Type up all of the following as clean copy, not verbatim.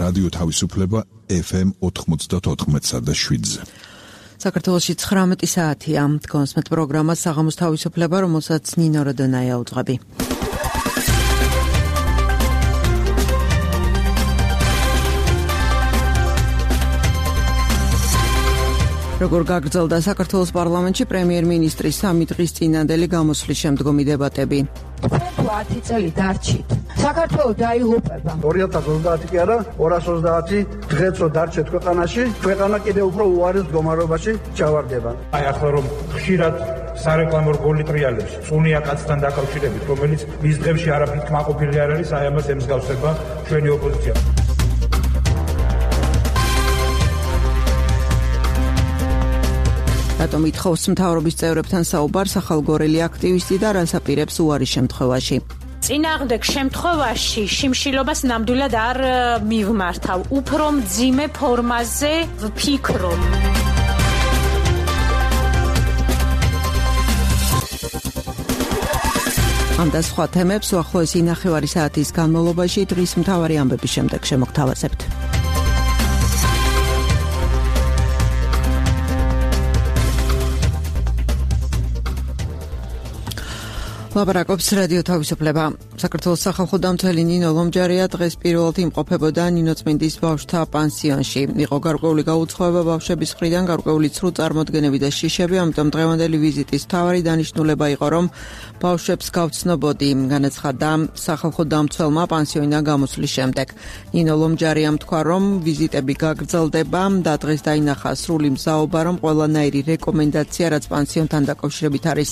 რადიო თავისუფლება FM 94.7-ზე. საქართველოში 19 საათია. კონსმეთ პროგრამა საღამოს თავისუფლება, რომელსაც ნინო როდონაია უძღვები. როგორ გაგრძელდა საქართველოს პარლამენტში პრემიერ-მინისტრის 3 დღის წინანდელი გამოსვლის შემდგომი დებატები. 10 წელი დარჩით. საქართველოს დაიღუპება. 2030 კი არა, 230 დღეც რო დარჩეთ ქვეყანაში, ქვეყანა კიდევ უფრო უარის მდგომარეობაში ჩავარდება. აი ახლა რომ ხშირად სარეკლამო რგოლი ტრიალებს, წუნია კაცთან დაკავშირებით, რომელიც მის დღეებში არაფრით კმაყოფილი არ არის, აი ამას ემსგავსება ჩვენი ოპოზიცია. რატომ ითხოვს მთავრობის წევრებთან საუბარს ახალგორელი აქტივისტი და რას აპირებს უარის შემთხვევაში? წინააღმდეგ შემთხვევაში შიმშილობას ნამდვილად არ მივმართავ. უფრო მძიმე ფორმაზე ვფიქრობ. ამ და სხვა თემებს უახლოესი ნახევარი საათის განმავლობაში დღის მთავარი ამბების შემდეგ შემოგთავაზებთ. ლაპარაკობს რადიო თავისუფლება. საქართველოს სახალხო დამცველი ნინო ლომჯარია დღეს პირველად იმყოფებოდა ნინოწმინდის ბავშვთა პანსიონში. იყო გარკვეული გაუცხოება ბავშვების მხრიდან, გარკვეული ცრუ წარმოდგენები და შიშები, ამიტომ დღევანდელი ვიზიტის მთავარი დანიშნულება იყო, რომ ბავშვებს გავცნობოდი, განაცხადა სახალხო დამცველმა პანსიონიდან გამოსვლის შემდეგ. ნინო ლომჯარიამ თქვა, რომ ვიზიტები გაგრძელდება და დღეს დაინახა სრული მზაობა, რომ ყველანაირი რეკომენდაცია, რაც პანსიონთან დაკავშირებით არის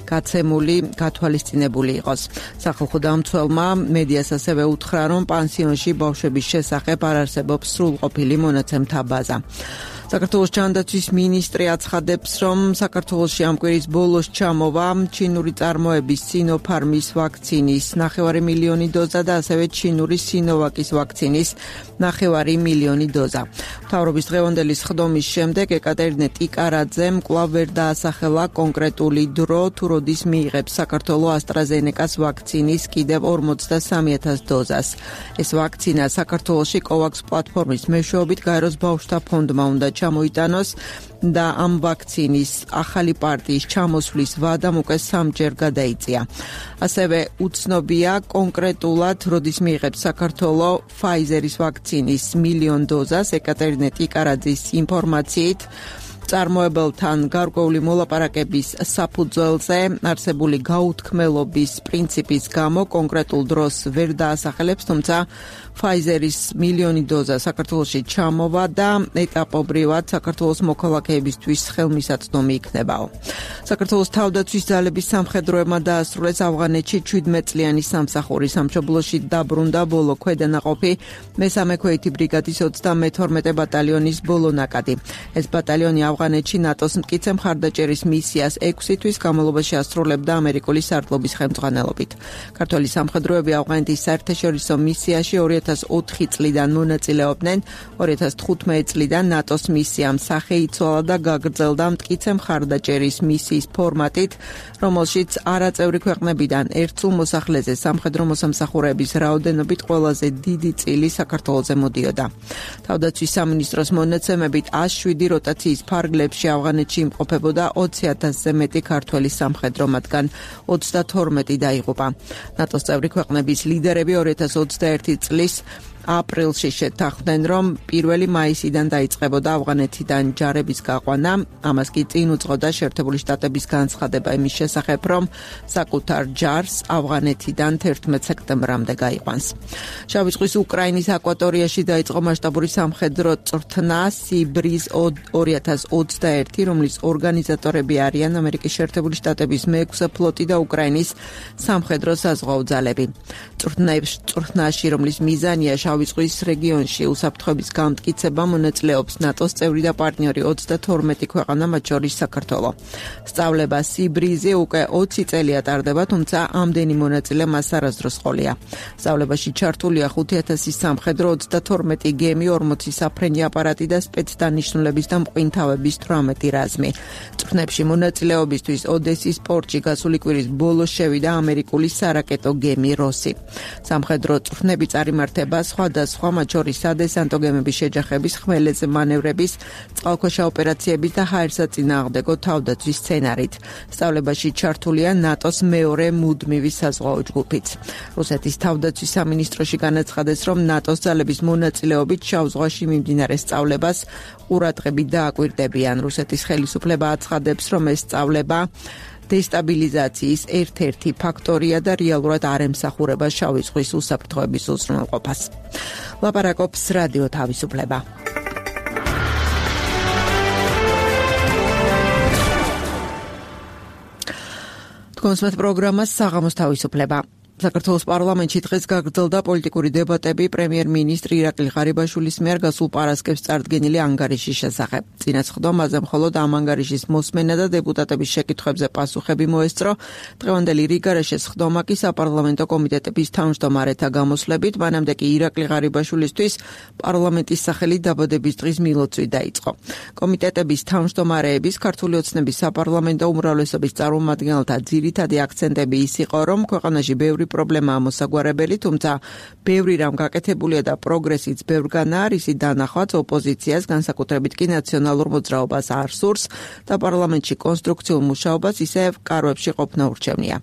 გაცემული, თვალისწინებული იყოს. სახალხო დამცველმა მედიას ასევე უთხრა, რომ პანსიონში ბავშვების შესახებ არ არსებობს სრულყოფილი მონაცემთა ბაზა. საქართველოს ჯანდაცვის მინისტრი აცხადებს, რომ საქართველოში ამ კვირის ბოლოს ჩამოვა ჩინური წარმოების სინოფარმის ვაქცინის 9 მილიონი დოზა და ასევე ჩინური სინოვაკის ვაქცინის 9 მილიონი დოზა. მთავრობის დღევანდელი სხდომის შემდეგ ეკატერინე ტიკარაძემ კვლავ ვერ დაასახელა კონკრეტული დრო, თუ როდის მიიღებს საქართველო ასტრაზენეკას ვაქცინის კიდევ 43,000 დოზას. ეს ვაქცინა საქართველოში COVAX პლატფორმის მეშვეობით გაეროს ბავშვთა ფონდმა უნდა ჩამოიტანოს და ამ ვაქცინის ახალი პარტიის ჩამოსვლის ვადამ უკვე 3-ჯერ გადაიწია. ასევე უცნობია კონკრეტულად როდის მიიღებს საქართველო Pfizer-ის ვაქცინის 1 მილიონ დოზას. ეკატერინე ტიკარაძის ინფორმაციით წარმოებელთან გარკვეული მოლაპარაკების საფუძველზე არსებული გაუთქმელობის პრინციპის გამო კონკრეტულ დროს ვერ დაასახელებს, თუმცა Pfizer-ის 1 მილიონი დოზა საქართველოში ჩამოვა და ეტაპობრივად საქართველოს მოქალაქეებისთვის ხელმისაწვდომი იქნებაო. საქართველოს თავდაცვის ძალების სამხედროებმა დაასრულეს ავღანეთში 17 წლიანი სამსახური. სამშობლოში დაბრუნდა ბოლო ქვედანაყოფი მესამე ქვეითი ბრიგადის 32 ბატალიონის ბოლო ნაკადი. ეს ბატალიონი ავღანეთში ნატოს მტკიცე მხარდაჭერის მისიას 6 თვის განმავლობაში ასრულებდა ამერიკული სარდლობის ხელმძღვანელობით. ქართველი სამხედროები ავღანეთის საერთაშორისო მისიაში 2004 წლიდან მონაწილეობდნენ. 2015 წლიდან ნატოს მისიამ სახე იცვალა და გაგრძელდა მტკიცე მხარდაჭერის მისიის ფორმატით, რომელშიც არაწევრი ქვეყნებიდან ერთსულ მოსახლეზე სამხედრო მოსამსახურეების რაოდენობით ყველაზე დიდი წილი საქართველოზე მოდიოდა. თავდაცვის სამინისტროს მონაცემებით 107 როტაციის ფარგლებში ავღანეთში იმყოფებოდა 20,000-ზე მეტი ქართველი სამხედრო, მათგან 32 დაიღუპა. ნატოს წევრი ქვეყნების ლიდერები 2021 წლის აპრილში შეთანხმდნენ, რომ 1 მაისიდან დაიწყებოდა ავღანეთიდან ჯარების გაყვანა. ამას კი წინ უძღოდა შეერთებული შტატების განცხადება იმის შესახებ, რომ საკუთარ ჯარს ავღანეთიდან 11 სექტემბრამდე გაიყვანს. შავი ზღვის უკრაინის აკვატორიაში დაიწყო მასშტაბური სამხედრო წვრთნა სიბრიზ 2021, რომლის ორგანიზატორები არიან ამერიკის შეერთებული შტატების მე-6 ფლოტი და უკრაინის სამხედრო საზღვაო ძალები. წვრთნაში, რომლის მიზანია შავი ზღვის რეგიონში უსაფრთხოების გამტკიცება, მონაწილეობს ნატოს წევრი და პარტნიორი 32 ქვეყანა, მათ შორის საქართველო. სწავლება სიბრიზი უკვე 20 წელია ტარდება, თუმცა ამდენი მონაწილე მას არასდროს ყოლია. სწავლებაში ჩართულია 5,000 სამხედრო, 32 გემი, 40 საფრენი აპარატი და სპეცდანიშნულების და მყინთავების 18 რაზმი. წვრთნებში მონაწილეობისთვის ოდესის პორტში გასული კვირის ბოლოს შევიდა ამერიკული სარაკეტო გემი როსი. სამხედრო წვრთნები წარიმართება სხვა სხვადასხვა, მათ შორის სადესანტო გემების შეჯახების, ხმელეთზე მანევრების, წყალქვეშა ოპერაციების და ჰაერსაწინააღმდეგო თავდაცვის სცენარით. სწავლებაში ჩართულია ნატოს მეორე მუდმივი საზღვაო ჯგუფიც. რუსეთის თავდაცვის სამინისტროში განაცხადეს, რომ ნატოს ძალების მონაწილეობით შავ ზღვაში მიმდინარე სწავლებას ყურადღებით დააკვირდებიან. რუსეთის ხელისუფლება აცხადებს, რომ ეს სწავლება დესტაბილიზაციის ერთ-ერთი ფაქტორია და რეალურად არ ემსახურება შავი ზღვის უსაფრთხოების უზრუნველყოფას. ლაპარაკობს რადიო თავისუფლება. თქვენს პროგრამას საღამოს თავისუფლება. საქართველოს პარლამენტში დღეს გაგრძელდა პოლიტიკური დებატები პრემიერ-მინისტრი ირაკლი ღარიბაშვილის მიერ გასულ პარასკევს წარდგენილი ანგარიშის შესახებ. წინასხდომაზე მხოლოდ ამ ანგარიშის მოსმენა და დეპუტატების შეკითხვებზე პასუხები მოესწრო. დღევანდელი რიგარეშე სხდომა კი საპარლამენტო კომიტეტების თავმჯდომარეთა გამოსვლებით, მანამდე კი ირაკლი ღარიბაშვილისთვის პარლამენტის სახელით დაბადების დღის მილოცვი დაიწყო. კომიტეტების თავმჯდომარეების ქართული ოცნების საპარლამენტო უმრავლესობის წარმომადგენელთა ძირითადი აქცენტები ის იყო, რომ ქვეყანაში ბევრი პრობლემაა მოსაგვარებელი, თუმცა ბევრი რამ გაკეთებულია და პროგრესიც ბევრგანაა, რისი დანახვაც ოპოზიციას, განსაკუთრებით კი ნაციონალურ მოძრაობას არ სურს და პარლამენტში კონსტრუქციულ მუშაობას ისევ კარვებში ყოფნა ურჩევნია.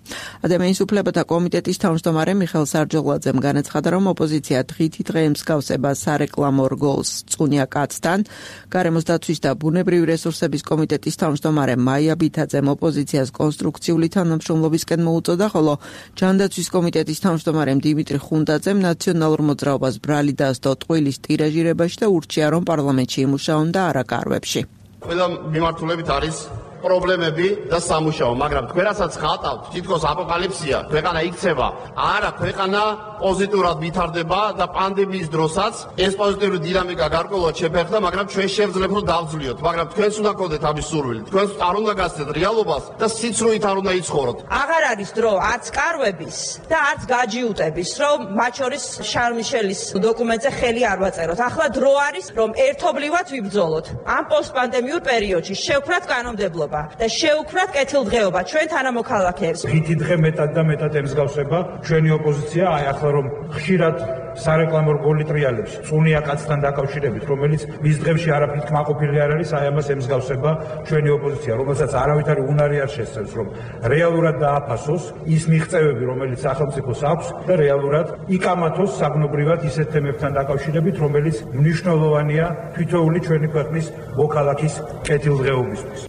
ადამიანის უფლებათა კომიტეტის თავმჯდომარე მიხეილ სარჯოლაძემ განაცხადა, რომ ოპოზიცია დღითი დღე ემსგავსება სარეკლამო რგოლს წუნია კაცთან. გარემოს დაცვის და ბუნებრივი რესურსების კომიტეტის თავმჯდომარე მაია ბითაძემ ოპოზიციას კონსტრუქციული თანამშრომლობისკენ მოუწოდა, ხოლო ჯანდაცვის კომიტეტის თავმჯდომარემ დიმიტრი ხუნდაძემ ნაციონალურ მოძრაობას ბრალი დასდო ტყუილის ტირაჟირებაში და ურჩია, რომ პარლამენტში იმუშაონ და არა კარვებში. ყველა მიმართულებით არის პრობლემები და სამუშაო, მაგრამ თქვენ რასაც ხატავთ, თითქოს აპოკალიფსია, ქვეყანა იქცევა, არა, ქვეყანა პოზიტიურად ვითარდება და პანდემიის დროსაც ეს პოზიტიური დინამიკა გარკვეულად შეფერხდა, მაგრამ ჩვენ შევძლებთ რომ დავძლიოთ, მაგრამ თქვენც უნდა გქონდეთ ამის სურვილი. თქვენც არ უნდა გასცდეთ რეალობას და სიცრუით არ უნდა იცხოვროთ. აღარ არის დრო არც კარვების და არც გაჯიუტების, რომ მათ შორის შარლ მიშელის დოკუმენტზე ხელი არ ვაწეროთ. ახლა დრო არის, რომ ერთობლივად ვიბრძოლოთ. ამ პოსტპანდემიურ პერიოდში შევქრათ კანონმდებლობა და შევქრათ კეთილდღეობა ჩვენ თანამოქალაქეებს. ხითი დღე მეტად და მეტად ემსგავსება ჩვენი ოპოზიცია, აი ახლა რომ ხშირად სარეკლამო რგოლი ტრიალებს წუნია კაცთან დაკავშირებით, რომელიც მის დღეებში არაფრით კმაყოფილი არ არის, აი ამას ემსგავსება ჩვენი ოპოზიცია, რომელსაც არავითარი უნარი არ შესწევს, რომ რეალურად დააფასოს ის მიღწევები, რომელიც სახელმწიფოს აქვს და რეალურად იკამათოს საგნობრივად ისეთ თემებთან დაკავშირებით, რომელიც მნიშვნელოვანია თითოეული ჩვენი ქვეყნის მოქალაქის კეთილდღეობისთვის.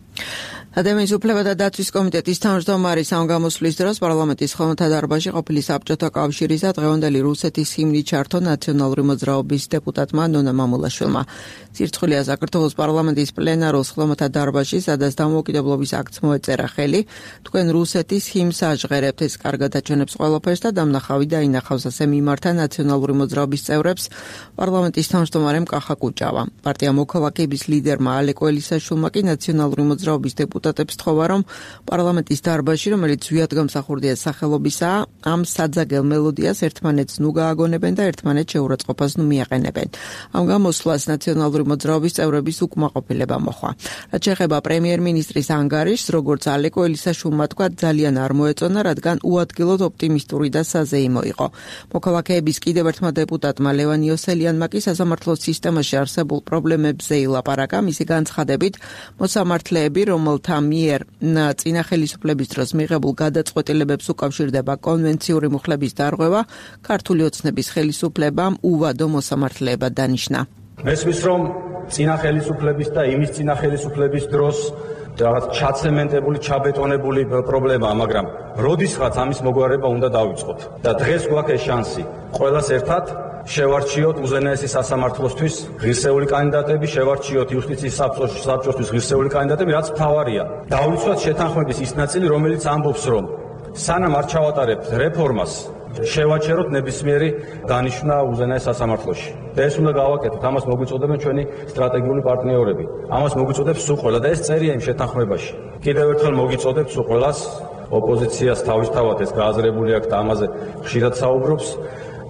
ადამიანის უფლებათა დაცვის კომიტეტის თავმჯდომარის ამ გამოსვლის დროს პარლამენტის ხელმოთა დარბაზში ყოფილი საბჭოთა კავშირისა დღევანდელი რუსეთის ჰიმნი ჩართო ნაციონალური მოძრაობის დეპუტატმა ნონა მამულაშვილმა. სირცხვილია საქართველოს პარლამენტის პლენარულ ხელმოთა დარბაზში, სადაც დამოუკიდებლობის აქტს მოეწერა ხელი. თქვენ რუსეთის ჰიმნს აჟღერებთ, ეს კარგად აჩვენებს ყველაფერს და დამნახავი დაინახავს, ასე მიმართა ნაციონალური მოძრაობის წევრებს პარლამენტის თავმჯდომარემ კახა კუჭავა. პარტია მოქალაქეების ლიდერმა ალეკო ელისაშვილმა კი ნაციონალური მოძრაობის დეპუტატებს თხოვა, რომ პარლამენტის დარბაზში, რომელიც ზვიად გამსახურდია სახელობისაა, ამ საძაგელ მელოდიას ერთმანეთს ნუ გააგონებენ და ერთმანეთს შეურაცხყოფას ნუ მიაყენებენ. ამ გამოსვლას ნაციონალური მოძრაობის წევრების უკმაყოფილება მოჰყვა. რაც შეეხება პრემიერ-მინისტრის ანგარიშს, როგორც ალეკო ელისაშვილმა თქვა, ძალიან არ მოეწონა, რადგან უადგილოდ ოპტიმისტური და საზეიმო იყო. მოქალაქეების კიდევ ერთმა დეპუტატმა ლევან იოსელიანმა კი სასამართლოს სისტემაში არსებულ პრობლემებზე ილაპარაკა, მისი განცხადებით, მოსამართლეები, რომელთა მიერ წინა ხელისუფლების დროს მიღებულ გადაწყვეტილებებს უკავშირდება კონვენციური მუხლების დარღვევა, ქართული ოცნების ხელისუფლებამ უვადო მოსამართლეებად დანიშნა. მესმის, რომ წინა ხელისუფლების და იმის წინა ხელისუფლების დროს რაღაც ჩაცემენტებული, ჩაბეტონებული პრობლემაა, მაგრამ როდისღაც ამის მოგვარება უნდა დავიწყოთ და დღეს გვაქვს შანსი ყველას ერთად შევარჩიოთ უზენაესი სასამართლოსთვის ღირსეული კანდიდატები, შევარჩიოთ იუსტიციის საბჭოსთვის ღირსეული კანდიდატები, რაც მთავარია. დავიცვათ შეთანხმების ის ნაწილი, რომელიც ამბობს, რომ სანამ არ ჩავატარებთ რეფორმას, შევაჩეროთ ნებისმიერი დანიშვნა უზენაეს სასამართლოში. და ეს უნდა გავაკეთოთ, ამას მოგვიწოდებენ ჩვენი სტრატეგიული პარტნიორები. ამას მოგვიწოდებს სულ ყველა და ეს წერია იმ შეთანხმებაში. კიდევ ერთხელ მოგვიწოდებს სულ ყველას, ოპოზიციას თავისთავად ეს გააზრებული აქვს და ამაზე ხშირად საუბრობს,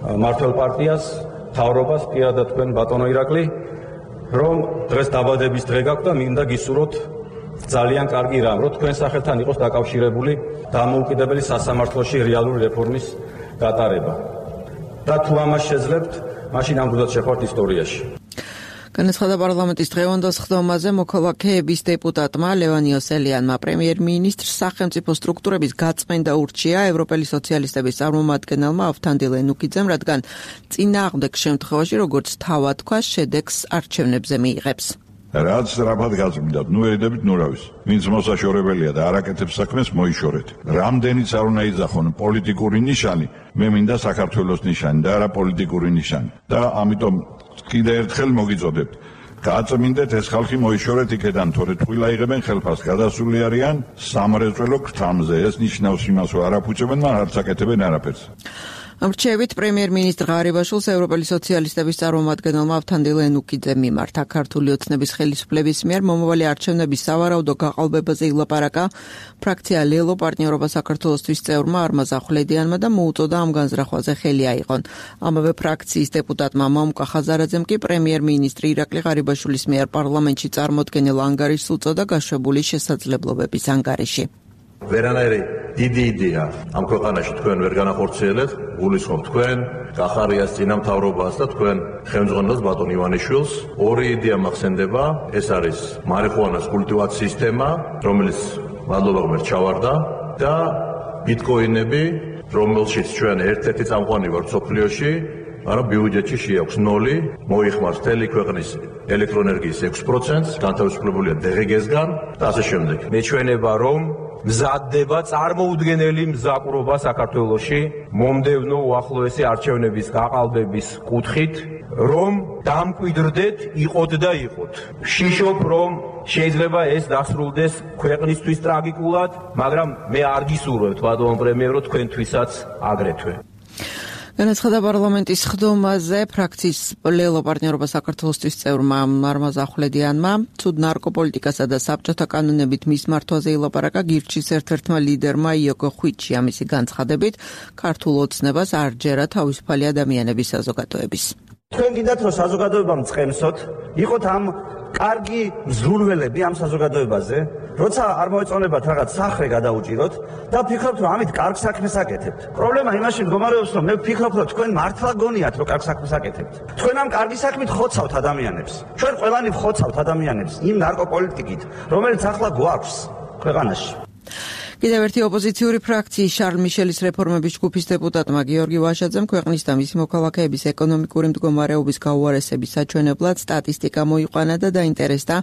მართლ პარტიას, მთავრობას, პირადად თქვენ ბატონო ირაკლი, რომ დღეს დაბადების დღე გაქვთ და მინდა გისურვოთ ძალიან კარგი რამ, რომ თქვენ სახელთან იყოს დაკავშირებული დამოუკიდებელი სასამართლოში რეალური რეფორმის გატარება. და თუ ამას შეძლებთ, მაშინ ამ გუნდს შეხვალთ ისტორიაში. განაცხადა პარლამენტის დღევანდელ სხდომაზე მოქალაქეების დეპუტატმა ლევან იოსელიანმა პრემიერ-მინისტრს სახელმწიფო სტრუქტურების გაწმენდა ურჩია ევროპელი სოციალისტების წარმომადგენელმა ავთანდილ ენუკიძემ, რადგან წინააღმდეგ შემთხვევაში, როგორც თავად თქვა, შედეგს არჩევნებზე მიიღებს. რაც რაფად გაწმიდათ, ერიდებით ნურავის. ვინც მოსაშორებელია და არ აკეთებს საქმეს, მოიშორეთ. რამდენიც არ უნდა იძახონ პოლიტიკური ნიშანი, მე მინდა საქართველოს ნიშანი და არა პოლიტიკური ნიშანი. და ამიტომ კიდე ერთხელ მოგიწოდებთ. გაწმინდეთ ეს ხალხი მოიშორეთ იქედან, თორე ტყუილა იღებენ ხელფასს, გადასული არიან სამრეწველო ქრთამზე. ეს ნიშნავს იმას, რომ არაფუჭებენ, მაგრამ არც აკეთებენ არაფერს. რჩევით პრემიერ-მინისტრ ღარიბაშვილს ევროპელი სოციალისტების წარმომადგენელმა ავთანდილ ენუკიძემ მიმართა. ქართული ოცნების ხელისუფლების მიერ მომავალი არჩევნების სავარაუდო გაყალბებაზე ილაპარაკა ფრაქცია ლელო პარტნიორობა საქართველოსთვის წევრმა არმაზ ახვლედიანმა და მოუწოდა ამ განზრახვაზე ხელი აიღონ. ამავე ფრაქციის დეპუტატმა მამუკა ხაზარაძემ კი პრემიერ-მინისტრი ირაკლი ღარიბაშვილის მიერ პარლამენტში წარმოდგენილ ანგარიშს უწოდა გაშვებული შესაძლებლობების ანგარიში. ვერანაირი დიდი იდეა ამ ქვეყანაში თქვენ ვერ განახორციელეთ, გულისხმობ თქვენ კახარიას წინამთავრობას და თქვენ ხელმძღვანელს ბატონ ივანიშვილს. ორი იდეა მახსენდება, ეს არის მარიხუანას კულტივაციის სისტემა, რომელიც მადლობა ღმერთს ჩავარდა და ბიტკოინები, რომელშიც ჩვენ ერთ-ერთი წამყვანი ვართ მსოფლიოში, მაგრამ ბიუჯეტში შეაქვს 0, მოიხმარს მთელი ქვეყნის ელექტროენერგიის 6%, განთავისუფლებულია დღეგესგან და ასე შემდეგ. მეჩვენება რომ მზადდება წარმოუდგენელი მზაკვრობა საქართველოში მომდევნო უახლოესი არჩევნების გაყალბების კუთხით, რომ დამკვიდრდეთ, იყოთ და იყოთ. ვშიშობ, რომ შეიძლება ეს დასრულდეს ქვეყნისთვის ტრაგიკულად, მაგრამ მე არ გისურვებთ, ბატონო პრემიერო, თქვენთვისაც აგრეთვე. განაცხადა პარლამენტის სხდომაზე ფრაქციის ლელო პარტნიორობა საქართველოსთვის წევრმა არმაზ ახვლედიანმა. ცუდ ნარკოპოლიტიკასა და საბჭოთა კანონებით მის მართვაზე ილაპარაკა გირჩის ერთ-ერთმა ლიდერმა იოკო ხვიჩია. მისი განცხადებით, ქართულ ოცნებას არ ჯერა თავისუფალი ადამიანების საზოგადოების. თქვენ გინდათ რომ საზოგადოება მწყემსოთ, იყოთ ამ კარგი მზრუნველები ამ საზოგადოებაზე, როცა არ მოეწონებათ რაღაც სახრე გადაუჭიროთ და ვფიქრობთ რომ ამით კარგ საქმეს აკეთებთ. პრობლემა იმაში მდგომარეობს, რომ მე ვფიქრობ რომ თქვენ მართლა გონიათ რომ კარგ საქმეს აკეთებთ. თქვენ ამ კარგი საქმით ხოცავთ ადამიანებს. ჩვენ ყველანი ვხოცავთ ადამიანებს იმ ნარკოპოლიტიკით, რომელიც ახლა გვაქვს ქვეყანაში. კიდევ ერთი ოპოზიციური ფრაქციის შარლ მიშელის რეფორმების ჯგუფის დეპუტატმა გიორგი ვაშაძემ ქვეყნის და მისი მოქალაქეების ეკონომიკური მდგომარეობის გაუარესების საჩვენებლად სტატისტიკა მოიყვანა და დაინტერესდა,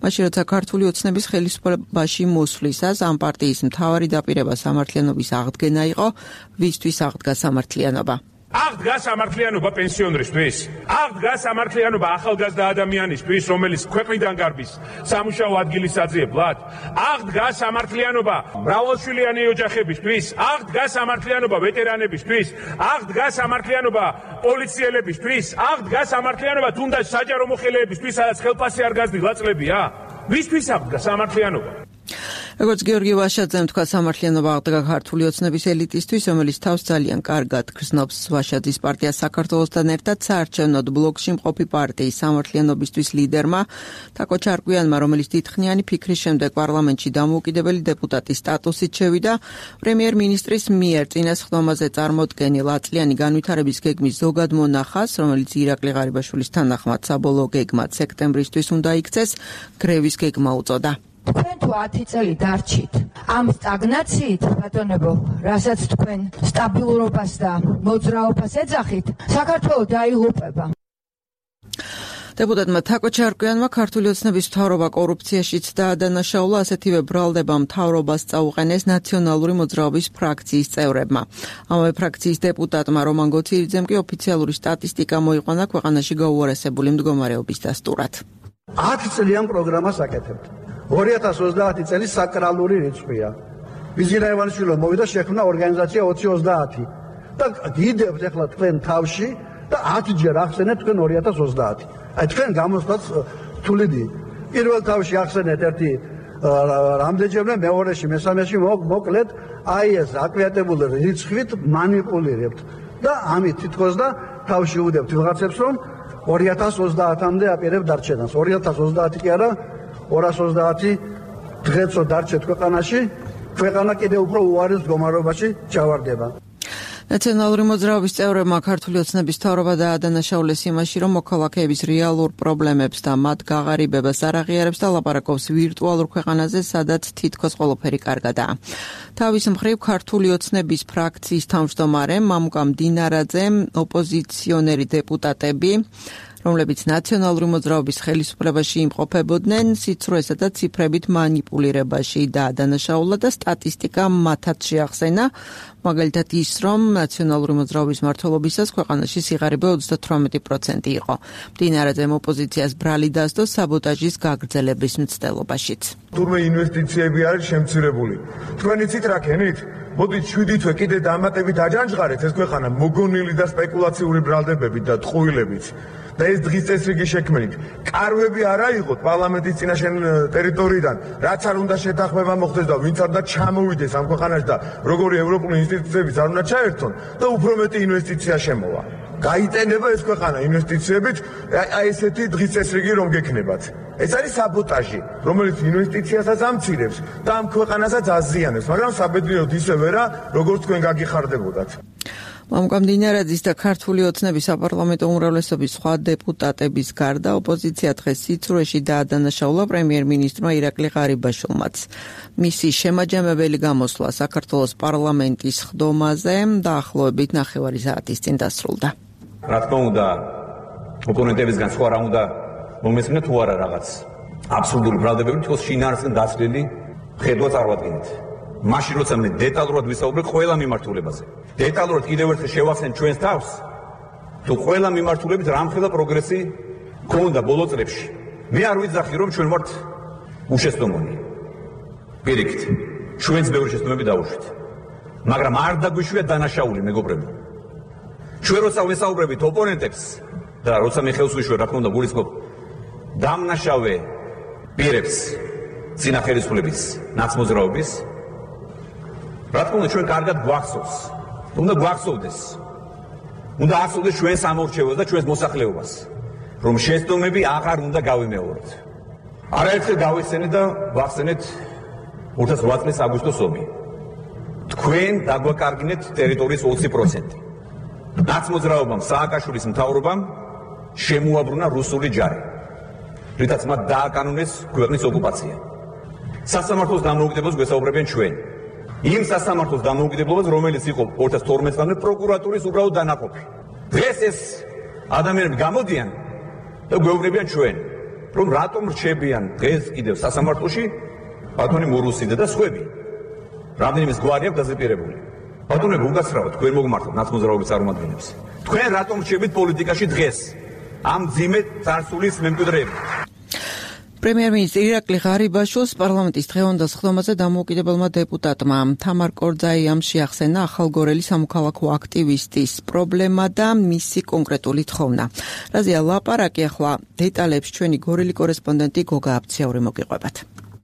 მაშინ როცა ქართული ოცნების ხელისუფლებაში მოსვლისას ამ პარტიის მთავარი დაპირება სამართლიანობის აღდგენა იყო, ვისთვის აღდგა სამართლიანობა. აღდგა სამართლიანობა პენსიონერისთვის, აღდგა სამართლიანობა ახალგაზრდა ადამიანისთვის, რომელიც ქვეყნიდან გარბის სამუშაო ადგილის საძიებლად, აღდგა სამართლიანობა მრავალშვილიანი ოჯახებისთვის, აღდგა სამართლიანობა ვეტერანებისთვის, აღდგა სამართლიანობა პოლიციელებისთვის, აღდგა სამართლიანობა თუნდაც საჯარო მოხელეებისთვის, სადაც ხელფასი არ გაზრდილა წლებია. ვისთვის აღდგა სამართლიანობა? როგორც გიორგი ვაშაძემ თქვა, სამართლიანობა აღდგა ქართული ოცნების ელიტისთვის, რომელიც თავს ძალიან კარგად გრძნობს. ვაშაძის პარტია საქართველოსთან ერთად საარჩევნოდ ბლოკში მყოფი პარტიის სამართლიანობისთვის ლიდერმა თაკო ჩარკვიანმა, რომელიც დიდხნიანი ფიქრის შემდეგ პარლამენტში დამოუკიდებელი დეპუტატის სტატუსით შევიდა, პრემიერ-მინისტრის მიერ წინა სხდომაზე წარმოდგენილ აწლიანი განვითარების გეგმის ზოგად მონახას, რომელიც ირაკლი ღარიბაშვილის თანახმად საბოლოო გეგმად სექტემბრისთვის უნდა იქცეს, გრევის გეგმა უწოდა. თქვენ თუ 10 წელი დარჩით ამ სტაგნაციით, ბატონებო, რასაც თქვენ სტაბილურობას და მოძრაობას ეძახით, საქართველო დაიღუპება. დეპუტატმა თაკო ჩარკვიანმა ქართული ოცნების მთავრობა კორუფციაშიც დაადანაშაულა, ასეთივე ბრალდება მთავრობას წაუყენეს ნაციონალური მოძრაობის ფრაქციის წევრებმა. ამავე ფრაქციის დეპუტატმა რომან გოცირიძემ კი ოფიციალური სტატისტიკა მოიყვანა ქვეყანაში გაუარესებული მდგომარეობის დასტურად. 10 წლიან პროგრამას აკეთებთ. 2030 წელი საკრალური რიცხვია. ვიზირა ივანიშვილო მოვიდა შექმნა ორგანიზაცია 2030 და გიდევთ ახლა თქვენ თავში და 10 ჯერ ახსენეთ თქვენ 2030. აი თქვენ გამოსვლაც თულიდი. პირველ თავში ახსენეთ ერთი რამდენჯერმე, მეორეში, მესამეში მოკლედ აი ეს აკვიატებული რიცხვით მანიპულირებთ და ამით თითქოს და თავში უდებთ ვიღაცებს რომ 2030-მდე აპირებთ დარჩენას. 2030 კი არა, 230 დღეცო დარჩეთ ქვეყანაში, ქვეყანა კიდევ უფრო უარეს მდგომარეობაში ჩავარდება. ნაციონალური მოძრაობის წევრებმა ქართული ოცნების მთავრობა დაადანაშაულეს იმაში, რომ მოქალაქეების რეალურ პრობლემებს და მათ გაღარიბებას არ აღიარებს და ლაპარაკობს ვირტუალურ ქვეყანაზე, სადაც თითქოს ყველაფერი კარგადაა. თავის მხრივ ქართული ოცნების ფრაქციის თავმჯდომარე მამუკა მდინარაძემ ოპოზიციონერი დეპუტატები, რომლებიც ნაციონალური მოძრაობის ხელისუფლებაში იმყოფებოდნენ, სიცრუესა და ციფრებით მანიპულირებაში დაადანაშაულა და სტატისტიკა მათაც შეახსენა, მაგალითად ის, რომ ნაციონალური მოძრაობის მმართველობისას ქვეყანაში სიღარიბე 38% იყო. მდინარაძემ ოპოზიციას ბრალი დასდო საბოტაჟის გაგრძელების მცდელობაშიც. თურმე ინვესტიციები არის შემცირებული. თქვენ იცით რა ქენით? მოდით 7 თვე კიდე დამატებით აჯანჯღარეთ ეს ქვეყანა მოგონილი და სპეკულაციური ბრალდებებით და ტყუილებით. და ეს დღის წესრიგი შექმნით. კარვები არ აიღოთ პარლამენტის წინაშე ტერიტორიიდან, რაც არ უნდა შეთანხმება მოხდეს და ვინც არ უნდა ჩამოვიდეს ამ ქვეყანაში და როგორი ევროპული ინსტიტუციებიც არ უნდა ჩაერთონ და უფრო მეტი ინვესტიცია შემოვა. გაიტენება ეს ქვეყანა ინვესტიციებით, აი ესეთი დღის წესრიგი რომ გექნებათ. ეს არის საბოტაჟი, რომელიც ინვესტიციასაც ამცირებს და ამ ქვეყანასაც აზიანებს, მაგრამ საბედნიეროდ ისევე რა, როგორც თქვენ გაგიხარდებოდათ. მამუკა მდინარაძის და ქართული ოცნების საპარლამენტო უმრავლესობის სხვა დეპუტატების გარდა ოპოზიცია დღეს სიცრუეში დაადანაშაულა პრემიერ-მინისტრმა ირაკლი ღარიბაშვილმაც. მისი შემაჯამებელი გამოსვლა საქართველოს პარლამენტის ხდომაზე დაახლოებით 9 საათის წინ დასრულდა. რა თქმა უნდა, ოპონენტებისგან სხვა რა უნდა მომესმინა თუ არა რაღაც აბსურდული ბრალდებები თქოს შინაარსკენ დაცლილი ხედვა წარმოადგენთ. მაშინ როცა მე დეტალურად ვისაუბრებ ყველა მიმართულებაზე. დეტალურად კიდევ ერთხელ შევახსენ ჩვენს თავს, თუ ყველა მიმართულებით რამხელა პროგრესი გქონდა ბოლო წლებში. მე არ ვიძახი რომ ჩვენ ვართ უშეცდომონი. პირიქით, ჩვენც ბევრი შეცდომები დავუშვით. მაგრამ არ დაგვიშვია დანაშაული მეგობრებო. ჩვენ როცა ვესაუბრებით ოპონენტებს და როცა მე ხელს ვიშვებ, რა თქმა უნდა, გულისხმობ დამნაშავე პირებს წინა ხელისუფლების ნაცმოძრაობის, რა თქმა უნდა, ჩვენ კარგად გვახსოვს. უნდა გვახსოვდეს. უნდა ახსოვდეს ჩვენს ამორჩევას და ჩვენს მოსახლეობას, რომ შეცდომები აღარ უნდა გავიმეოროთ. არაერთხელ გავიხსენეთ და ვახსენეთ 2008 წლის აგვისტოს ომი. თქვენ დაგვაკარგინეთ ტერიტორიის 20%. ნაცმოძრაობამ, სააკაშვილის მთავრობამ შემოაბრუნა რუსული ჯარი, რითაც მათ დააკანონეს ქვეყნის ოკუპაცია. სასამართლოს დამოუკიდებლობას გვესაუბრებენ ჩვენ. იმ სასამართლოს დამოუკიდებლობას, რომელიც იყო 2012 წლამდე პროკურატურის უბრალოდ დანაყოფი. დღეს ეს ადამიანები გამოდიან და გვეუბნებიან ჩვენ, რომ რატომ რჩებიან დღეს კიდევ სასამართლოში ბატონი მურუსიდე და სხვები. რამდენიმე გვარი აქვს დაზეპირებული. ბატონები, უკაცრავად, თქვენ მოგმართოთ ნაცმოძრაობის წარმომადგენლებს. თქვენ რატომ რჩებით პოლიტიკაში დღეს ამ ძიმე წარსულის მემკვიდრეები? პრემიერ-მინისტრი ირაკლი ღარიბაშვილს პარლამენტის დღევანდელ ხდომაზე დამოუკიდებელმა დეპუტატმა თამარ კორძაიამ შეახსენა ახალგორელი სამოქალაქო აქტივისტის პრობლემა და მისი კონკრეტული თხოვნა. რაზეა ლაპარაკი, ახლა დეტალებს ჩვენი გორელი კორესპონდენტი გოგა აბციაური მოგიყვებათ.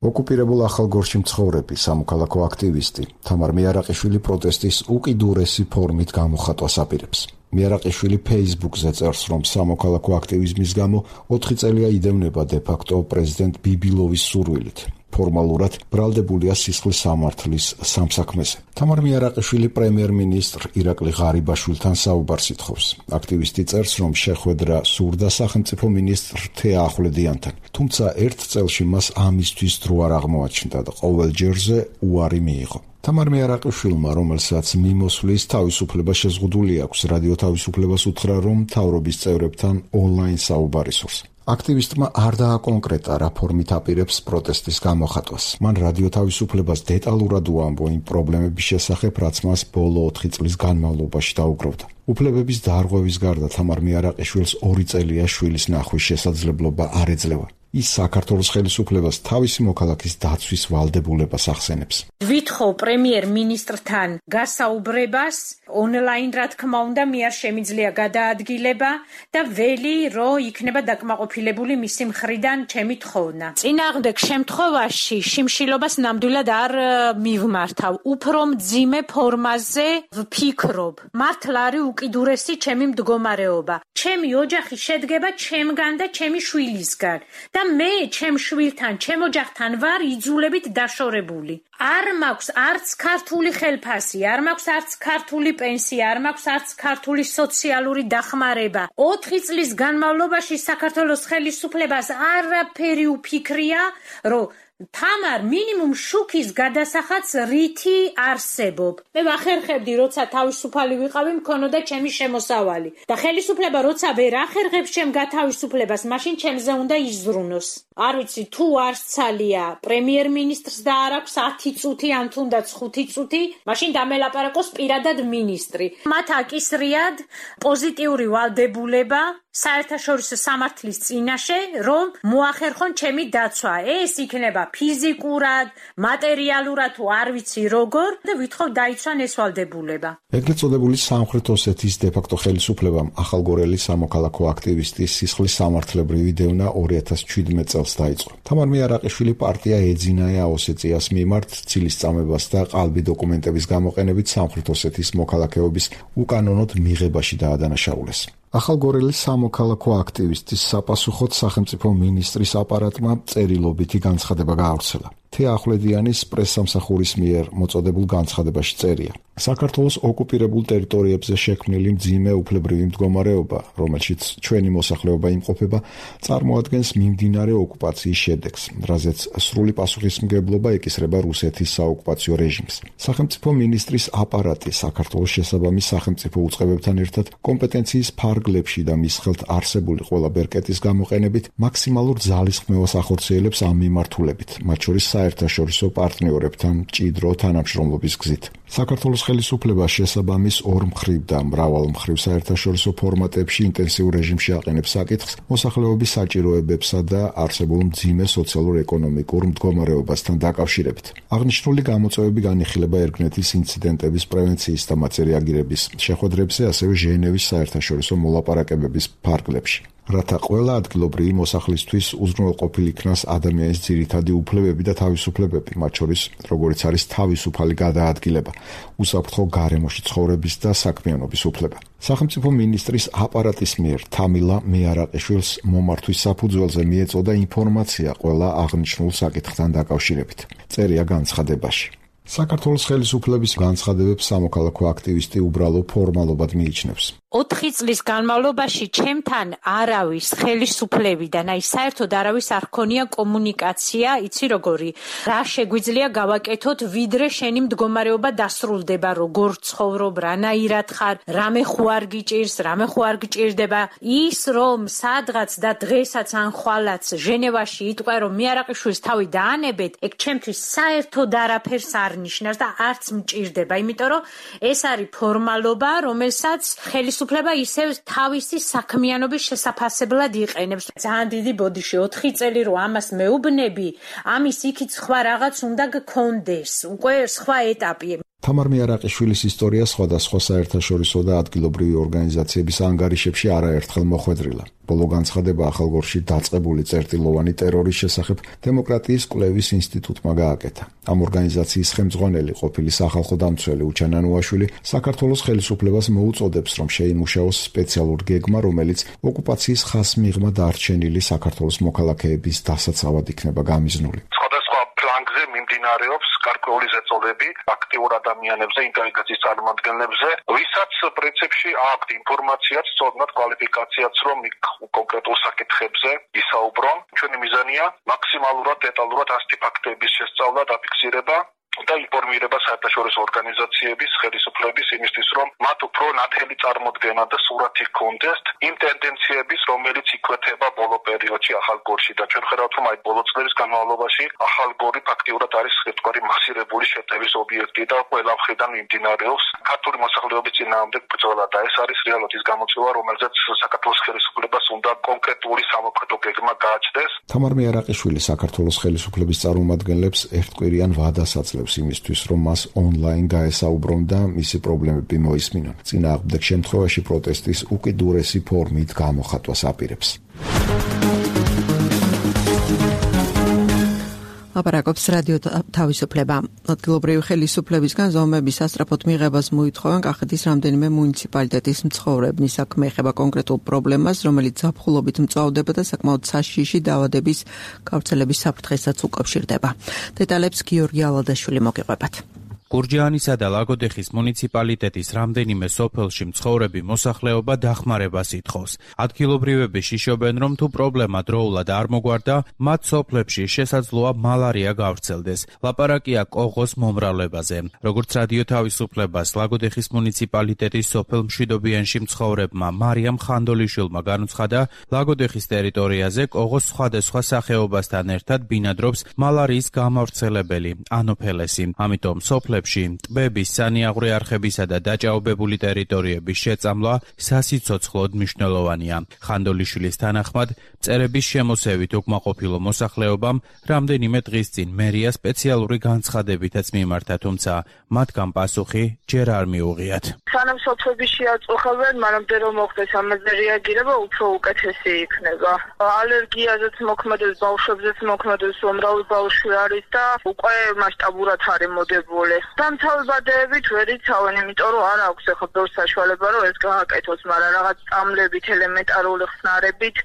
ოკუპირებულ ახალგორში მცხოვრები სამოქალაქო აქტივისტი თამარ მეარაყიშვილი პროტესტის უკიდურესი ფორმით გამოხატვას აპირებს. მეარაყიშვილი Facebook-ზე წერს, რომ სამოქალაქო აქტივიზმის გამო 4 წელია იდევნება დე-ფაქტო პრეზიდენტ ბიბილოვის სურვილით. ფორმალურად ბრალდებულია სისხლის სამართლის სამსაქმეზე. თამარ მეარაყიშვილი პრემიერ-მინისტრ ირაკლი ღარიბაშვილთან საუბარს ითხოვს. აქტივისტი წერს, რომ შეხვედრა სურდა სახელმწიფო მინისტრ თეა ახვლედიანთან, თუმცა ერთ წელში მას ამისთვის დრო არ აღმოაჩნდა და ყოველ ჯერზე უარი მიიღო. თამარ მეარაყიშვილმა, რომელსაც მიმოსვლის თავისუფლება შეზღუდული აქვს, რადიო თავისუფლებას უთხრა, რომ მთავრობის წევრებთან ონლაინ საუბარი სურს. აქტივისტმა არ დააკონკრეტა რა ფორმით აპირებს პროტესტის გამოხატვას. მან რადიო თავისუფლებას დეტალურად უამბო იმ პრობლემების შესახებ, რაც მას ბოლო 4 წლის განმავლობაში დაუგროვდა. უფლებების დარღვევის გარდა თამარ მეარაყიშვილს 2 წელია შვილის ნახვის შესაძლებლობა არ ეძლევა. ის საქართველოს ხელისუფლებას თავისი მოქალაქის დაცვის ვალდებულებას ახსენებს. ვითხოვ პრემიერ-მინისტრთან გასაუბრებას ონლაინ, რა თქმა უნდა, მე არ შემიძლია გადაადგილება და ველი რომ იქნება დაკმაყოფილებული მისი მხრიდან ჩემი თხოვნა. წინააღმდეგ შემთხვევაში შიმშილობას ნამდვილად არ მივმართავ. უფრო მძიმე ფორმაზე ვფიქრობ. მართლა არის უკიდურესი ჩემი მდგომარეობა. ჩემი ოჯახი შედგება ჩემგან და ჩემი შვილისგან. და და მე ჩემ შვილთან, ჩემ ოჯახთან ვარ იძულებით დაშორებული. არ მაქვს არც ქართული ხელფასი, არ მაქვს არც ქართული პენსია, არ მაქვს არც ქართული სოციალური დახმარება. 4 წლის განმავლობაში საქართველოს ხელისუფლებას არაფერი უფიქრია, რომ თამარ მინიმუმ შუქის გადასახადს რითი არსებობ. მე ვახერხებდი, როცა თავისუფალი ვიყავი, მქონოდა ჩემი შემოსავალი. და ხელისუფლება როცა ვერ ახერხებს ჩემ გათავისუფლებას, მაშინ ჩემზე უნდა იზრუნოს. არ ვიცი, თუ არსცალია პრემიერ-მინისტრს და არ აქვს 10 წუთი, ან თუნდაც 5 წუთი, მაშინ დამელაპარაკოს პირადად მინისტრი. მათ აკისრიათ პოზიტიური ვალდებულება საერთაშორისო სამართლის წინაშე, რომ მოახერხონ ჩემი დაცვა. ეს იქნება ფიზიკურად, მატერიალურად თუ არ ვიცი როგორ და ვითხოვ დაიცვან ეს ვალდებულება. ეგრეთ წოდებული სამხრეთ ოსეთის დე-ფაქტო ხელისუფლებამ ახალგორელი სამოქალაქო აქტივისტის სისხლის სამართლებრივი დევნა 2017 წელს დაიწყო. თამარ მიარაყიშვილი პარტია ეძინა ოსეტიას მიმართ ცილის წამებას და ყალბი დოკუმენტების გამოყენებით სამხრეთ ოსეთის მოქალაქეობის უკანონოდ მიღებაში დაადანაშაულეს. ახალგორელი სამოქალაქო აქტივისტის საპასუხოდ სახელმწიფო მინისტრის აპარატმა წერილობითი განცხადება გაავრცელა. თეა ახვლედიანის პრესსამსახურის მიერ მოწოდებულ განცხადებაში წერია: საქართველოს ოკუპირებულ ტერიტორიებზე შექმნილი მძიმე უფლებრივი მდგომარეობა, რომელშიც ჩვენი მოსახლეობა იმყოფება, წარმოადგენს მიმდინარე ოკუპაციის შედეგს, რაზეც სრული პასუხისმგებლობა ეკისრება რუსეთის საოკუპაციო რეჟიმს. სახელმწიფო მინისტრის აპარატი საქართველოს შესაბამის სახელმწიფო უწყებებთან ერთად კომპეტენციის ფარგლებში და მის ხელთ არსებული ყველა ბერკეტის გამოყენებით მაქსიმალურ ძალისხმევას ახორციელებს ამ მიმართულებით, მათ შორის საერთაშორისო პარტნიორებთან მჭიდრო თანამშრომლობის გზით. საქართველოს ხელისუფლება შესაბამის ორმხრივ და მრავალმხრივ საერთაშორისო ფორმატებში ინტენსიურ რეჟიმში აყენებს საკითხს მოსახლეობის საჭიროებებსა და არსებულ მძიმე სოციალურ-ეკონომიკურ მდგომარეობასთან დაკავშირებით. აღნიშნული გამოწვევები განიხილება ერგნეთის ინციდენტების პრევენციის და მათზე რეაგირების შეხვედრებზე, ასევე ჟენევის საერთაშორისო მოლაპარაკებების ფარგლებში. რათა ყველა ადგილობრივი მოსახლისთვის უზრუნველყოფილი იქნას ადამიანის ძირითადი უფლებები და თავისუფლებები, მათ შორის როგორიც არის თავისუფალი გადაადგილება, უსაფრთხო გარემოში ცხოვრების და საქმიანობის უფლება. სახელმწიფო მინისტრის აპარატის მიერ თამილა მიარაყიშვილს მომართვის საფუძველზე მიეწოდა ინფორმაცია ყველა აღნიშნულ საკითხთან დაკავშირებით. წერია განცხადებაში. საქართველოს ხელისუფლების განცხადებებს სამოქალაქო აქტივისტი უბრალო ფორმალობად მიიჩნევს. 4 წლის განმავლობაში ჩემთან არავის ხელისუფლებიდან, საერთოდ არავის არ ქონია კომუნიკაცია, იცი როგორი, რა შეგვიძლია გავაკეთოთ, ვიდრე შენი მდგომარეობა დასრულდება, როგორ ცხოვრობ, რანაირად ხარ, რამე ხო არ გიჭირს, რამე ხო არ გჭირდება. ის რომ სადღაც და დღესაც ან ხვალაც ჟენევაში იტყვე, რომ მიარაყიშვილს თავი დაანებეთ, ეგ ჩემთვის საერთოდ არაფერს არ ნიშნავს და არც მჭირდება, იმიტომ რომ ეს არის ფორმალობა, რომელსაც ხელისუფლება ისევ თავისი საქმიანობის შესაფასებლად იყენებს. ძალიან დიდი ბოდიში 4 წელი რომ ამას მეუბნები, ამის იქით სხვა რაღაც უნდა გქონდეს, უკვე სხვა ეტაპი. თამარ მიარაყიშვილის ისტორია სხვადასხვა საერთაშორისო და ადგილობრივი ორგანიზაციების ანგარიშებში არაერთხელ მოხვედრილა. ბოლო განცხადება ახალგორში დაწყებული წერტილოვანი ტერორის შესახებ დემოკრატიის კვლევის ინსტიტუტმა გააკეთა. ამ ორგანიზაციის ხელმძღვანელი ყოფილი სახალხო დამცველი უჩან ანუაშვილი საქართველოს ხელისუფლებას მოუწოდებს, რომ შეიმუშაოს სპეციალურ გეგმა, რომელიც ოკუპაციის ხასმიღმა დარჩენილი საქართველოს მოქალაქეების დასაცავად იქნება გამიზნული. ფლანგზე მიმდინარეობს გარკვეული ზეწოლები აქტიურ ადამიანებზე, ინტელიგენციის წარმომადგენლებზე, ვისაც პრინციპში აქვთ ინფორმაციაც, სწორად კვალიფიკაციაც, რომ კონკრეტულ საკითხებზე ისაუბრონ. ჩვენი მიზანია მაქსიმალურად დეტალურად ასეთი ფაქტების შესწავლა, დაფიქსირება და ინფორმირება საერთაშორისო ორგანიზაციების, ხელისუფლების იმისთვის, რომ მათ უფრო ნათელი წარმოდგენა და სურათი ჰქონდეს იმ ტენდენციების, რომელიც იკვეთება ბოლო პერიოდში ახალგორში და ჩვენ ხედავთ, რომ აი ბოლო წლების განმავლობაში ახალგორი ფაქტიურად არის ერთგვარი მასირებული შეტევის ობიექტი და ყველა მხრიდან მიმდინარეობს ქართული მოსახლეობის წინააღმდეგ ბრძოლა და ეს არის რეალურად ის გამოწვევა, რომელზეც საქართველოს ხელისუფლებას უნდა კონკრეტული სამოქმედო გეგმა გააჩნდეს. თამარ მიარაყიშვილი საქართველოს ხელისუფლების წარმომადგენლებს ერთკვირიან ვადას აძლევს იმისთვის, რომ მას ონლაინ გაესაუბრონ და მისი პრობლემები მოისმინონ. წინააღმდეგ შემთხვევაში პროტესტის უკიდურესი ფორმით გამოხატვას აპირებს. ლაპარაკობს რადიო თავისუფლება. ადგილობრივი ხელისუფლებისგან ზომების სასწრაფოდ მიღებას მოითხოვენ კახეთის რამდენიმე მუნიციპალიტეტის მცხოვრებნი. საქმე ეხება კონკრეტულ პრობლემას, რომელიც ზაფხულობით მწვავდება და საკმაოდ საშიში დაავადების გავრცელების საფრთხესაც უკავშირდება. დეტალებს გიორგი ალადაშვილი მოგიყვებათ. გურჯაანისა და ლაგოდეხის მუნიციპალიტეტის რამდენიმე სოფელში მცხოვრები მოსახლეობა დახმარებას ითხოვს. ადგილობრივები შიშობენ, რომ თუ პრობლემა დროულად არ მოგვარდა, მათ სოფლებში შესაძლოა მალარია გავრცელდეს. ლაპარაკია კოღოს მომრავლებაზე. როგორც რადიო თავისუფლებას ლაგოდეხის მუნიციპალიტეტის სოფელ მშვიდობიანში მცხოვრებმა მარიამ ხანდოლიშვილმა განუცხადა, ლაგოდეხის ტერიტორიაზე კოღოს სხვადასხვა სახეობასთან ერთად ბინადრობს მალარიის გამავრცელებელი ანოფელესი. ამიტომ სოფლებში ტბების, სანიაღვრე არხებისა და დაჭაობებული ტერიტორიების შეწამლა სასიცოცხლოდ მნიშვნელოვანია. ხანდოლიშვილის თანახმად, მწერების შემოსევით უკმაყოფილო მოსახლეობამ რამდენიმე დღის წინ მერია სპეციალური განცხადებითაც მიმართა, თუმცა მათგან პასუხი ჯერ არ მიუღიათ. სანამ სოფლები შეაწუხებენ, მანამდე რომ მოხდეს ამაზე რეაგირება, უფრო უკეთესი იქნება. ალერგიაზეც მოქმედებს, ბავშვებზეც მოქმედებს, უმრავი ბავშვი არის და უკვე მასშტაბურად არის მოდებული. დამთავრებადეებით ვერ იცავენ, იმიტომ რომ არ აქვს ახლა ბევრ საშუალება რომ ეს გააკეთოს, მაგრამ რაღაც წამლებით, ელემენტარული ხსნარებით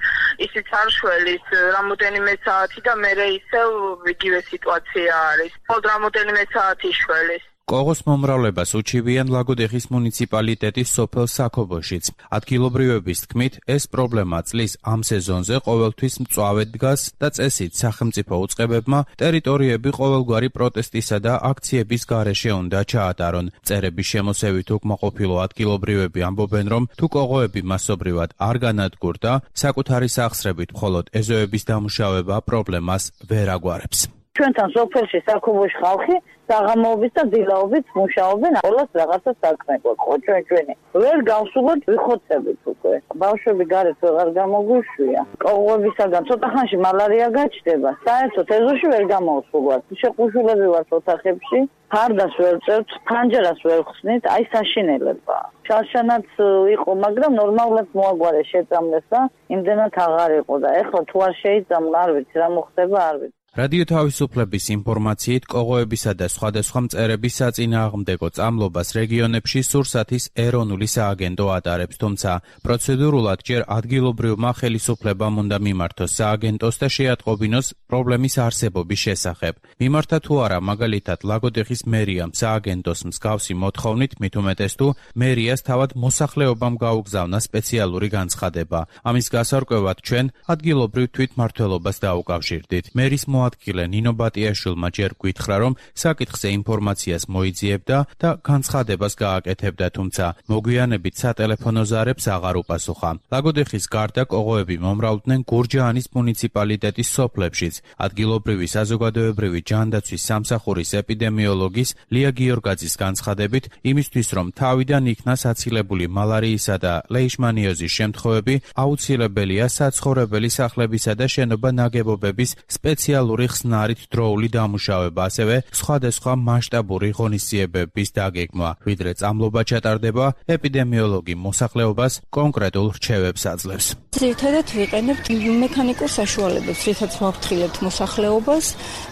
ისიც არ შველის რამოდენიმე საათი და მერე ისევ იგივე სიტუაცია არის. მხოლოდ რამოდენიმე საათი შველის. კოღოს მომრავლებას უჩივიან ლაგოდეხის მუნიციპალიტეტის სოფელ საქობოშიც. ადგილობრივების თქმით, ეს პრობლემა წლის ამ სეზონზე ყოველთვის მწვავედ დგას და წესით სახელმწიფო უწყებებმა ტერიტორიები ყოველგვარი პროტესტისა და აქციების გარეშე უნდა ჩაატარონ. მწერების შემოსევით უკმაყოფილო ადგილობრივები ამბობენ, რომ თუ კოღოები მასობრივად არ განადგურდა, საკუთარი სახსრებით მხოლოდ ეზოების დამუშავება პრობლემას ვერ აგვარებს. ჩვენთან სოფელში საქობოში ხალხი საღამოობით და დილაობით მუშაობენ, ყველას რაღაცა საქმე გვაქვს, ჩვენი. ვერ გავსულოთ, ვიხოცებით უკვე. ბავშვები გარეთ ვეღარ გამოგვიშვია. კოღოებისაგან ცოტა ხანში მალარია გაჩნდება. საერთოდ ეზოში ვერ გამოვსულვართ. შეყუშულები ვართ ოთახებში, ფარდას ვერ წერთ, ფანჯერას ვერ ხსნით, აი საშინელება. შარშანაც იყო, მაგრამ ნორმალურად მოაგვარეს შეწამლეს და იმდენად აღარ იყო და ეხლა თუ არ შეიწამლა, არ ვიცი რა მოხდება, არ ვიცი. რადიო თავისუფლების ინფორმაციით, კოღოებისა და სხვადასხვა მწერების საწინააღმდეგო წამლობას რეგიონებში სურსათის ეროვნული სააგენტო ატარებს, თუმცა პროცედურულად ჯერ ადგილობრივმა ხელისუფლებამ უნდა მიმართოს სააგენტოს და შეატყობინოს პრობლემის არსებობის შესახებ. მიმართა თუ არა, მაგალითად, ლაგოდეხის მერიამ სააგენტოს მსგავსი მოთხოვნით, მით უმეტეს თუ მერიას თავად მოსახლეობამ გაუგზავნა სპეციალური განცხადება. ამის გასარკვევად ჩვენ ადგილობრივ თვითმმართველობას დაუკავშირდით. მერის მოადგილე ნინო ბატიაშვილმა ჯერ გითხრა, რომ საკითხზე ინფორმაციას მოიძიებდა და განცხადებას გააკეთებდა, თუმცა მოგვიანებით სატელეფონო ზარებს აღარ უპასუხა. ლაგოდეხის გარდა კოღოები მომრავლდნენ გურჯაანის მუნიციპალიტეტის სოფლებშიც. ადგილობრივი საზოგადოებრივი ჯანდაცვის სამსახურის ეპიდემიოლოგის ლია გიორგაძის განცხადებით, იმისთვის რომ თავიდან იქნა საცილებული მალარიისა და ლეიშმანიოზის შემთხვევები, აუცილებელია საცხოვრებელი სახლებისა და შენობა ნაგებობების სპეციალური ხსნარით დროული დამუშავება, ასევე სხვადასხვა მასშტაბური ღონისძიებების დაგეგმვა. ვიდრე წამლობა ჩატარდება, ეპიდემიოლოგი მოსახლეობას კონკრეტულ რჩევებს აძლევს. ძირითადად ვიყენებთ მექანიკურ საშუალებებს, რითაც ვაფრთხილებთ მოსახლეობას.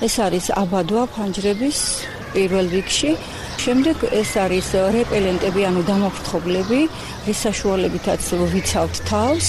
ეს არის აბადვა ფანჯრების პირველ რიგში. შემდეგ ეს არის რეპელენტები, ანუ დამაფრთხობლები, რის საშუალებითაც ვიცავთ თავს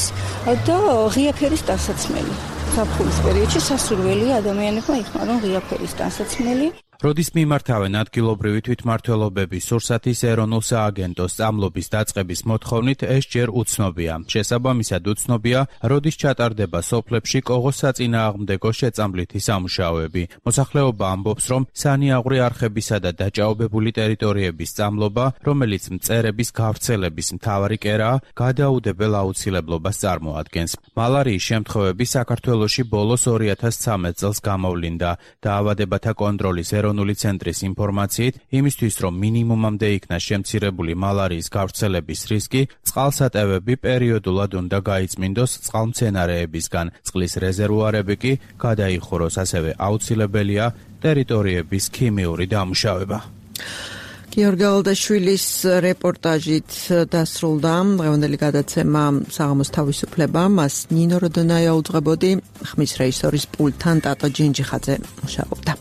და ღია ფერის ტანსაცმელი. ზაფხულის პერიოდში სასურველია ადამიანებმა იხმარონ ღია ფერის ტანსაცმელი. როდის მიმართავენ ადგილობრივი თვითმმართველობების სურსათის ეროვნულ სააგენტოს წამლობის დაწყების მოთხოვნით, ეს ჯერ უცნობია. შესაბამისად უცნობია, როდის ჩატარდება სოფლებში კოღოს საწინააღმდეგო შეწამლითი სამუშაოები. მოსახლეობა ამბობს, რომ სანიაღვრე არხებისა და დაჭაობებული ტერიტორიების წამლობა, რომელიც მწერების გავრცელების მთავარი კერაა, გადაუდებელ აუცილებლობას წარმოადგენს. მალარიის შემთხვევები საქართველოში ბოლოს 2013 წელს გამოვლინდა. დაავადებათა კონტროლის ეროვნული ცენტრის ინფორმაციით, იმისთვის რომ მინიმუმამდე იქნა შემცირებული მალარიის გავრცელების რისკი, წყალსატევები პერიოდულად უნდა გაიწმინდოს წყალმცენარეებისგან, წყლის რეზერვუარები კი გადაიხუროს, ასევე აუცილებელია ტერიტორიების ქიმიური დამუშავება. გიორგი ალდაშვილის რეპორტაჟით დასრულდა დღევანდელი გადაცემა საღამოს თავისუფლება. მას ნინო როდონაია უძღვებოდი, ხმის რეჟისორის პულტთან ტატო ჯინჯიხაძე მუშაობდა.